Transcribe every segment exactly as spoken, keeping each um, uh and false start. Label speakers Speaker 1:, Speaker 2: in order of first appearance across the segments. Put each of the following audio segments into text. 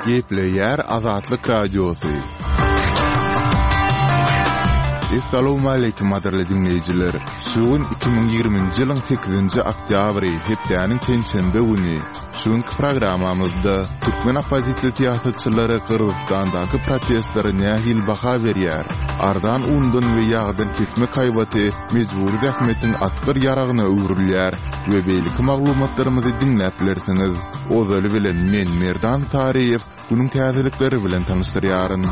Speaker 1: Gepleýär Azatlyk Radiosy. Essalawmaleýkim gadyrly diňleýjiler! Şu gün iki müň ýigriminji ýylyň sekizinji oktýabry, hepdäniň penşenbe güni. Şu günki programmamyzda türkmen oppozisiýa syýasatçylary Gyrgyzystandaky protestlere nähili baha berýär? Arzan undan we ýagdan kesmek haýbaty mejbury zähmetiň atgyr ýaragyna öwrülýär we beýleki maglumatlarymyzy diňläp bilersiňiz. Ozaly bilen men Merdan Saryýew günüň täzelikleri bilen tanyşdyrýaryn.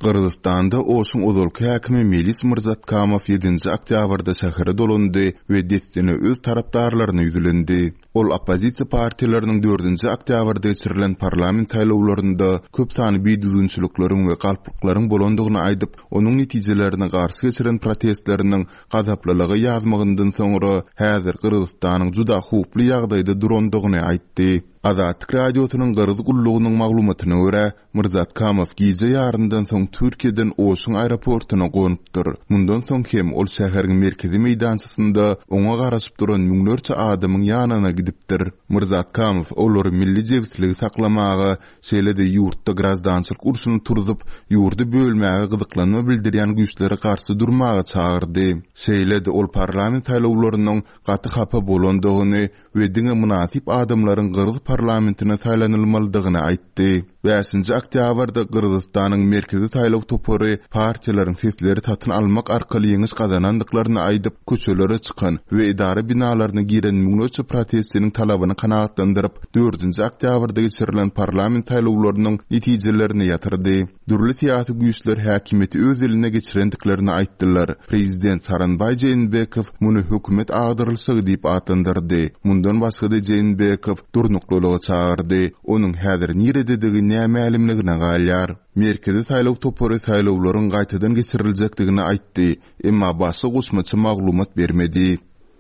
Speaker 1: Gyrgyzystanda Oşuň ozalky häkimi Melis Myrzatkamow ýedinji oktýabrda şähere dolandy we dessine öz tarapdarlaryna ýüzlendi. Ol oppozisiýa partiýalarynyň dördünji oktýabrda geçirilen parlament saýlawlarynda köp sanly bidüzgünçilikleriň we galplyklaryň bolandygyny aýdyp, onuň netijelerine garşy geçiren protestleriniň gazaplylyga ýazmagyndan soňra häzir Gyrgyzystanyň juda howply ýagdaýda durandygyny aýtdy. Azatlyk Radiosynyň Gyrgyz gullugynyň maglumatyna görä, Myrzatkamow gije ýaryndan soň Türkiýeden Oşuň aeroportuna gonupdyr. Mundan soň hem ol şäheriň merkezi meýdançasynda oňa garaşyp duran müňlerçe adamyň ýanyna gidipdir. Myrzatkamow olary milli jebisligi saklamaga, şeýle-de ýurtda graždançylyk urşuny turzup, ýurdy bölmäge gyzyklanma bildirýän güýçlere garşy durmaga çagyrdy. Şeýle-de ol parlament saýlawlarynyň gaty hapa bolandygyny we diňe mynasyp adamlaryň gyrgyz parlamentine saýlanylmalydygyny aýtdy. Bäşinji oktýabrda Gyrgyzystanyň Merkezi saýlaw topary partiýalaryň sesleri satyn almak arkaly ýeňiş gazanandyklaryny aýdyp, köçelere çykan we edara binalaryna giren müňlerçe protestçiniň talabyny kanagatlandyryp, dördünji oktýabrda geçirilen parlament saýlawlarynyň netijelerini ýatyrdy. Dürli syýasy güýçler häkimiýeti öz eline geçirendiklerini aýtdylar. Prezident Sooronbaý Jeenbekow muny hökümet agdarylyşygy diýip atlandyrdy. Mundan başga-da Jeenbekow durnuklylyga çagyrdy. Onuň häzir nirededigi nämälimligine galýar. Merkezi saýlaw topary saýlawlaryň gaýtadan geçiriljekdigini aýtdy, emma başga goşmaça maglumat bermedi.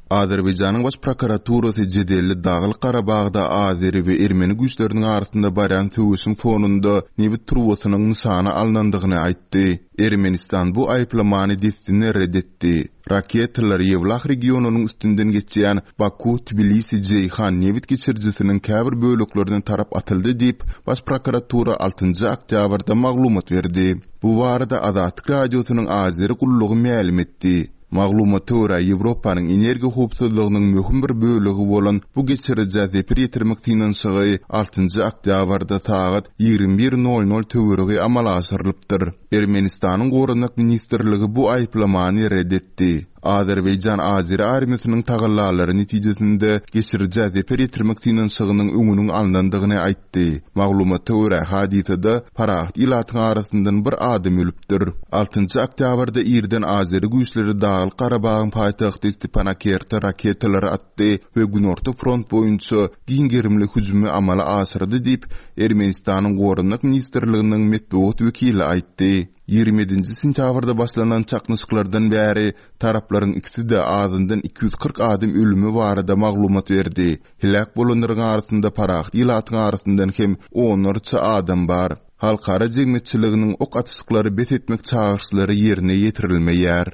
Speaker 1: Azerbaýjanyň Baş prokuraturasy jedelli Daglyk Garabagda azeri we ermeni güýçleriniň arasynda barýan söweşiň fonunda nebit turbasynyň nyşana alnandygyny aýtdy. Ermenistan bu aýyplamany dessine ret etdi. Raketalar Ýewlah regionynyň üstünden geçýän Baku-Tbilisi-Jeýhan nebit geçirijisiniň käbir böleklerine tarap atyldy diýip, Baş prokuratura altynjy oktýabrda maglumat berdi. Bu barada Azatlyk Radiosynyň Azeri gullugy mälim etdi. Maglumata görä, Ýewropanyň energiýa howpsuzlygynyň möhüm bir bölegi bolan bu geçirijä zeper ýetirmek synanyşygy altynjy oktýabrda sagat ýigrimi bir nol nol töweregi amala aşyrylypdyr. Ermenistanyň Goranmak ministrligi bu aýyplamany ret etdi. Azerbaýjan azeri armiýasynyň tagallalary netijesinde geçirijä zeper ýetirmek synanyşygynyň öňüniň alnandygyny aýtdy. Maglumata görä, hadysada parahat ilatyň arasyndan bir adam ölüpdir. Altynjy oktýabrda irden azeri güýçleri Daglyk Garabagyň paýtagty Stepanakerte raketalary atdy we günorta front boýunça giň gerimli hüjümi amala aşyrdy diýip, Ermenistanyň Goranmak ministrliginiň metbugat wekili aýtdy. Ýigrimi ýedinji sentýabrda başlanan çaknyşyklardan bäri taraplaryň ikisi-de azyndan iki ýüz kyrk adam ölümi barada maglumat berdi. Heläk bolanlaryň arasynda parahat ilatyň arasyndan hem onlarça adam bar. Halkara jemgyýetçiliginiň ok atyşyklary bes etmek çagyryşlary ýerine ýetirilmeýär.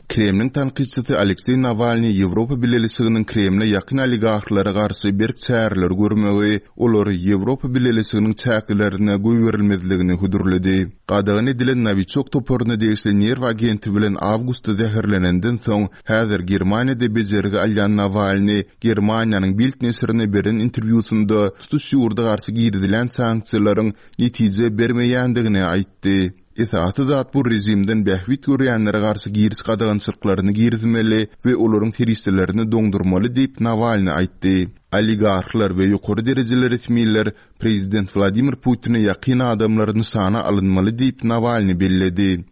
Speaker 1: Kremliň tankytçysy Alekseý Nawalnyý Ýewropa Bileleşiginiň Kremle ýakyn oligarhlara garşy berk çäreleri görmegi, olary Ýewropa Bileleşiginiň çäklerine goýberilmezligini hödürledi. Gadagan edilen Nowiçok toparyna degişli nerw agenti bilen awgustda zäherlenenden soň, häzir Germaniýada bejergi alýan Nawalnyý Germaniýanyň Bild neşirine beren interwýusynda tutuş ýurda garşy girizilen sanksiýalaryň netije bermeýändigini aýtdy. Esasy zat bu režimden bähbit görýänlere garşy giriş gadagançylyklaryny girizmeli we olaryň serişdelerini doňdurmaly diýip, Nawalnyý aýtdy. Oligarhlar we ýokary derejeli resmiler prezident Wladimir Putine ýakyn adamlar nyşana alynmaly diýip, Nawalnyý belledi.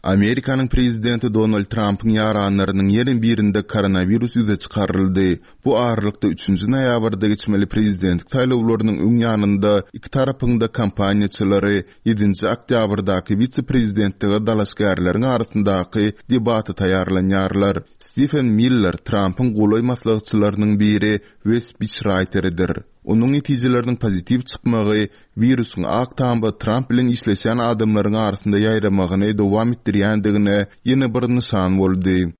Speaker 1: Amerikanyň prezidenti Donald Trampyň ýaranlarynyň ýene birinde koronawirus ýüze çykaryldy. Bu aralykda üçünji noýabrda geçmeli prezidentlik saýlawlarynyň öň ýanynda iki tarapyň-da kampaniýaçylary ýedinji oktýabrdaky wise-prezidentlige dalaşgärleriň arasyndaky debata taýýarlanýarlar. Stifen Miller Trampyň golaý maslahatçylarynyň biri we spiçraýteridir. Onuň netijeleriniň pozitiw çykmagy wirusyň Ak Tamda Tramp bilen işleşýän adamlaryň arasynda ýaýramagyny dowam etdirýändigine ýene bir nyşan boldy.